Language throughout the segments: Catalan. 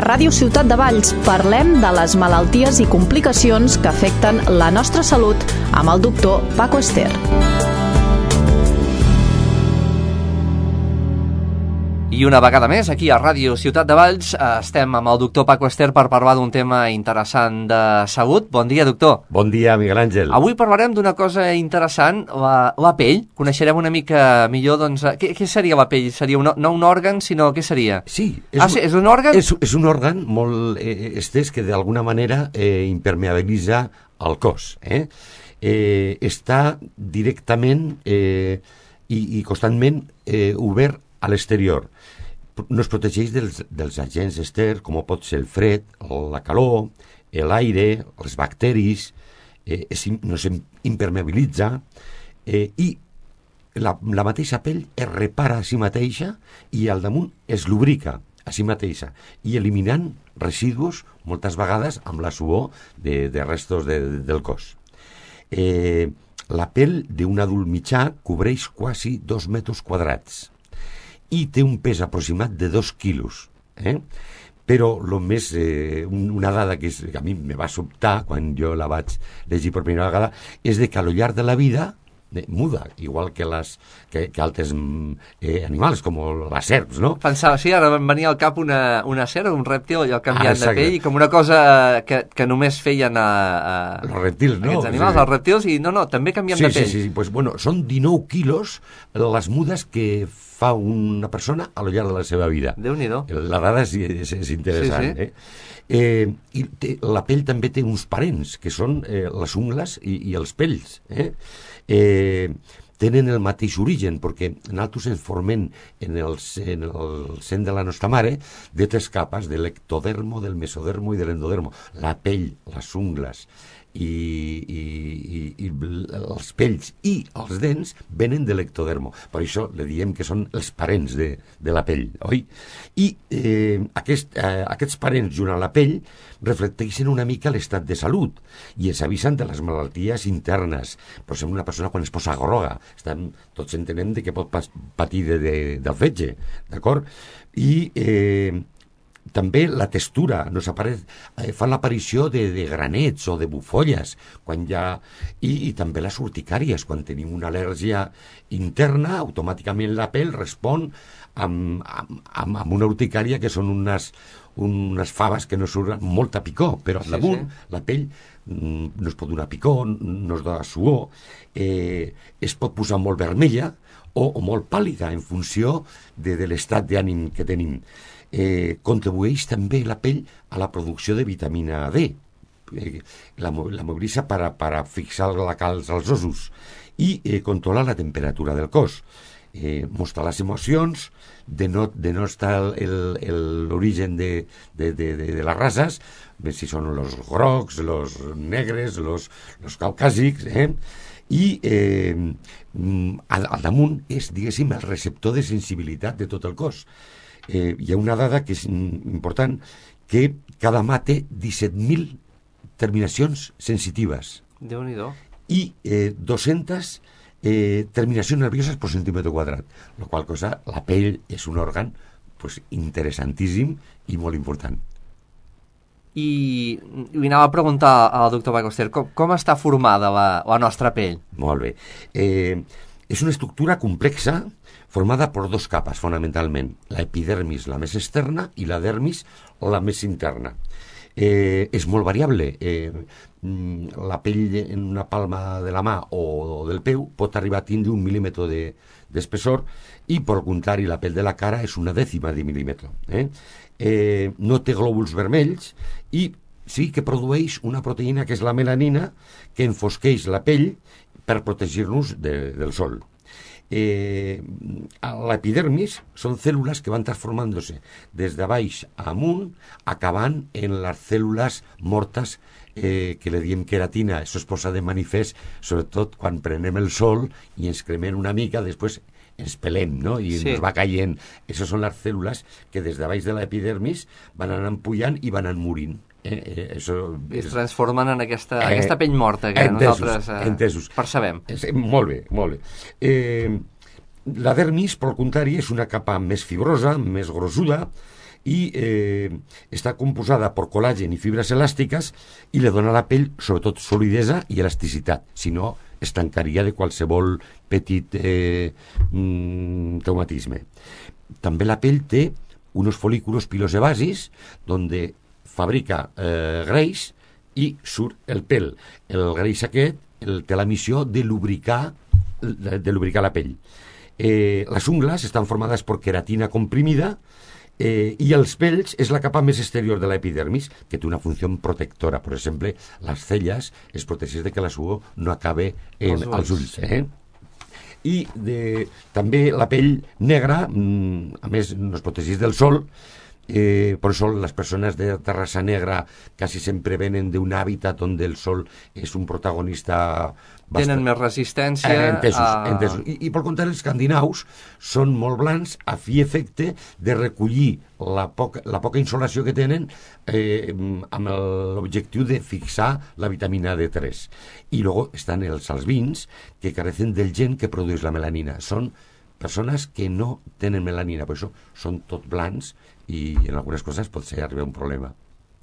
Ràdio Ciutat de Valls parlem de les malalties i complicacions que afecten la nostra salut amb el doctor Paco Ester. I una vegada més, aquí a Ràdio Ciutat de Valls, estem amb el doctor Paco Ester per parlar d'un tema interessant de salut. Bon dia, doctor. Bon dia, Miguel Àngel. Avui parlarem d'una cosa interessant, la pell. Coneixerem una mica millor, doncs, què seria la pell? Seria no un òrgan, sinó què seria? Sí. És un òrgan? És un òrgan molt estès que d'alguna manera impermeabilitza el cos. Està directament i constantment obert a l'exterior. No es protegeix dels agents externs, com pot ser el fred, la calor, l'aire, els bacteris, no s'impermeabilitza, i la mateixa pell es repara a si mateixa i al damunt es lubrica a si mateixa, i eliminant residus, moltes vegades amb la suor de restos del cos. La pell d'un adult mitjà cobreix quasi 2 metres quadrats i té un pes aproximat de 2 quilos. Però una dada que a mi me va sobtar quan jo la vaig llegir per primera vegada és que al llarg de la vida muda, igual que altres animals, com les serps, no? Pensava, sí, ara em venia al cap una serp, un rèptil, allò canviant de pell, com una cosa que només feien els rèptils, no? Aquests animals, els rèptils, i no, també canvien de pell. Sí, pues bueno, són 19 quilos les mudes que fa una persona a lo llarg de la seva vida. Déu-n'hi-do. La dada és interessant, I la pell també té uns parents, que són les ungles i els pells, tenen el mateix origen, perquè nosaltres ens formem en el sen de la nostra mare de 3 capes, de l'ectodermo, del mesodermo i de l'endodermo. La pell, les ungles i els pells i els dents venen de l'ectodermo. Per això li diem que són els parents de la pell, oi? I aquests parents junt a la pell reflecteixen una mica l'estat de salut i ens avisen de les malalties internes. Per exemple, una persona quan es posa groga, tots entenem que pot patir del fetge, d'acord? I també la textura, fan l'aparició de granets o de bufolles, i també les urticàries. Quan tenim una al·lèrgia interna, automàticament la pell respon amb una urticària, que són unes faves que no surten molta picor, però al damunt la pell no es pot donar picor, no es dona suor, es pot posar molt vermella o molt pàl·lida en funció de l'estat d'ànim que tenim. Contribueix també la pell a la producció de vitamina D, la mobilitza per fixar la calç als ossos i controla la temperatura del cos, mostra les emocions, denosta l'origen de les races, si són els grocs, els negres, els caucàsics, i al damunt és, diguéssim, el receptor de sensibilitat de tot el cos. Hi ha una dada que és important, que cada mà té 17.000 terminacions sensitives. Déu-n'hi-do. I 200 terminacions nervioses per centímetre quadrat, la qual cosa, la pell és un òrgan interessantíssim i molt important. I anava a preguntar al doctor Paco Ester, com està formada la nostra pell? Molt bé. És una estructura complexa formada per 2 capes, fonamentalment. L'epidermis, la més externa, i la dermis, la més interna. És molt variable. La pell en una palma de la mà o del peu pot arribar a tindre 1 mil·límetre d'espessor, i, per contrari, la pell de la cara és 1/10 de mil·límetre. No té glòbuls vermells i sí que produeix una proteïna que és la melanina, que enfosqueix la pell per protegir-nos del sol. L'epidermis són cèl·lules que van transformant-se des de baix a amunt, acabant en les cèl·lules mortes, que li diem queratina. Això es posa de manifest sobretot quan prenem el sol i ens cremem una mica, després ens pelem, no? I ens va caient. Això són les cèl·lules que des de baix de l'epidermis van anar pujant i van anar morint. Es transformen en aquesta pell morta que nosaltres percebem. Molt bé. La dermis, per contrari, és una capa més fibrosa, més grossuda, i està composada per col·làgen i fibres elàstiques i li dona a la pell sobretot solidesa i elasticitat, si no es tancaria de qualsevol petit traumatisme. També la pell té unos folículos pilosebasis donde fabrica greix i surt el pèl. El greix aquest té la missió de lubricar la pell. Les ungles estan formades per queratina comprimida i els pells és la capa més exterior de l'epidermis, que té una funció protectora. Per exemple, les celles es protegeix de que la suor no acabe als ulls. I també la pell negra, a més, no es protegeix del sol. Per això les persones de raça negra quasi sempre venen d'un hàbitat on el sol és un protagonista tenen més resistència. Entesos. I per contrari, els escandinaus són molt blancs a fi efecte de recollir la poca insolació que tenen amb l'objectiu de fixar la vitamina D3. I luego estan els albins, que carecen del gen que produeix la melanina. Són persones que no tenen melanina, per això són tot blancs i en algunes coses pot ser arribar un problema.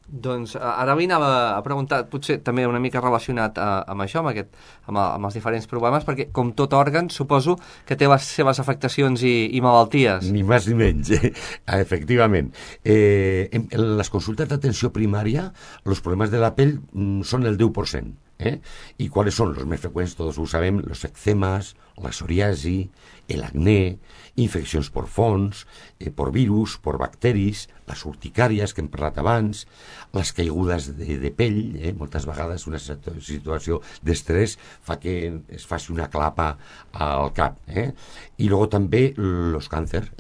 Doncs ara anava a preguntar, potser també una mica relacionat amb això, amb els diferents problemes, perquè com tot òrgan suposo que té les seves afectacions i malalties. Ni més ni menys, efectivament. En les consultes d'atenció primària, els problemes de la pell són el 10%. ¿Y cuáles son los más frecuentes? Todos lo sabem, los eczemas, la psoriasi, el acné, infeccions por fongs, por virus, por bacteris, les urticàries que hem parlat abans, les caigudes de pell, moltes vegades una situació d'estrès fa que es faci una clapa al cap. I luego també els càncers.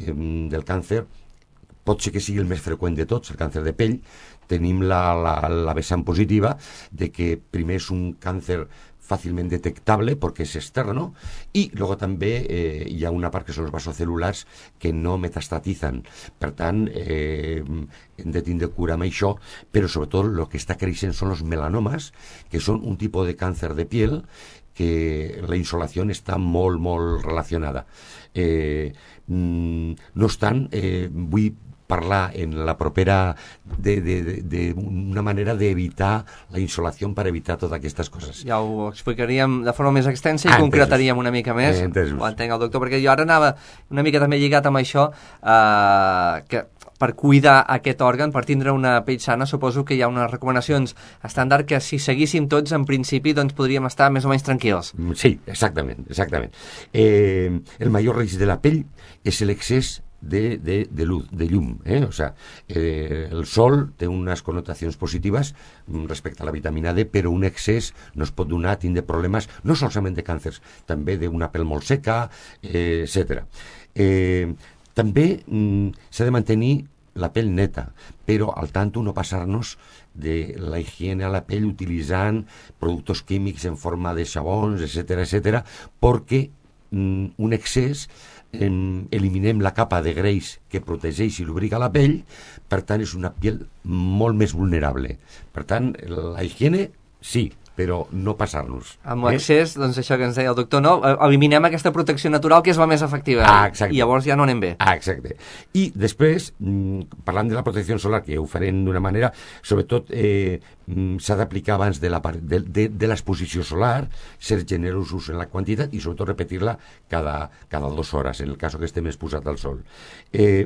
Del càncer pot ser que sigui el més freqüent de tots, el càncer de pell. Tenim la vessant positiva de que primer és un càncer fàcilment detectable perquè és externo i luego també hi ha una part que són els vasocelulars que no metastatizan. Per tant, hem de tindre cura amb això, però sobretot el que està creixent són els melanomes, que són un tipus de càncer de piel que la insolació està molt, molt relacionada. No obstant, vull parlar en la propera d'una manera d'evitar la insolació per evitar totes aquestes coses. Ja ho explicaríem de forma més extensa i concretaríem una mica més. Ho entenc el doctor, perquè jo ara anava una mica també lligat amb això, que per cuidar aquest òrgan, per tindre una pell sana, suposo que hi ha unes recomanacions estàndard que si seguíssim tots, en principi, doncs podríem estar més o menys tranquils. Sí, exactament. El major risc de la pell és l'excés de luz, de llum. O sea, el sol té unes connotacions positives respecte a la vitamina D, però un excés no es pot donar, tindre problemes no solament de càncers, també d'una pell molt seca, etc. També s'ha de mantenir la pell neta, però al tanto no passar-nos de la higiene a la pell utilitzant productes químics en forma de xabons, etc., perquè un excés eliminem la capa de greix que protegeix i lubrica la pell, per tant és una pell molt més vulnerable. Per tant, la higiene sí, però no passar-nos. Amb l'excés, doncs això que ens deia el doctor, no? Eliminem aquesta protecció natural que és la més efectiva. I llavors ja no anem bé. Exacte. I després, parlant de la protecció solar, que ho farem d'una manera, sobretot s'ha d'aplicar abans de l'exposició solar, ser generosos en la quantitat i sobretot repetir-la cada 2 hores, en el cas que estem exposats al sol.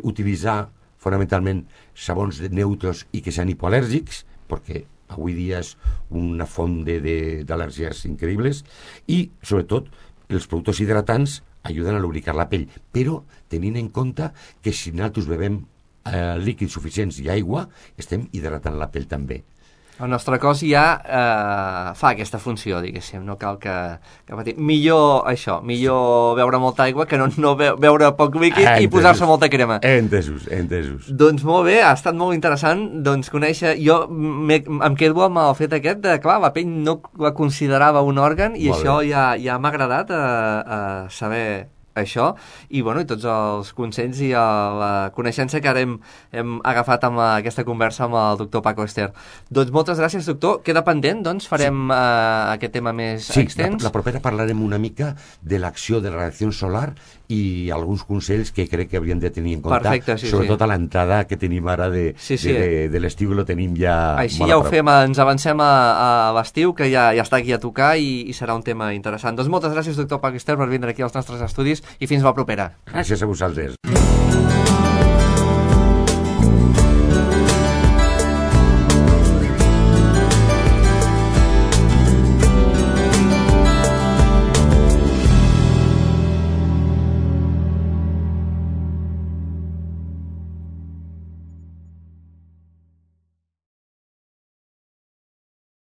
Utilitzar fonamentalment sabons neutres i que sean hipoalèrgics, perquè avui dia és una font d'al·lèrgies increïbles, i sobretot els productes hidratants ajuden a lubricar la pell, però tenint en compte que si nosaltres bevem líquids suficients i aigua, estem hidratant la pell també. El nostre cos ja fa aquesta funció, diguéssim, no cal que patim. Millor això, millor beure molta aigua que no beure poc líquid i posar-se molta crema. Entesos. Doncs molt bé, ha estat molt interessant conèixer. Jo em quedo amb el fet aquest de, clar, la pell no la considerava un òrgan i això ja m'ha agradat saber això, i tots els consells i la coneixença que ara hem agafat amb aquesta conversa amb el doctor Paco Ester. Doncs moltes gràcies, doctor. Queda pendent, farem aquest tema més extens. La propera parlarem una mica de l'acció de la radiació solar i alguns consells que crec que hauríem de tenir en compte. Perfecte, sí, sobretot a l'entrada que tenim ara de l'estiu, lo tenim ja així molt ja a ho prop. fem, ens avancem a l'estiu, que ja està aquí a tocar i serà un tema interessant. Doncs moltes gràcies, doctor Paco Ester, per vindre aquí als nostres estudis i fins la propera. Gràcies a vosaltres.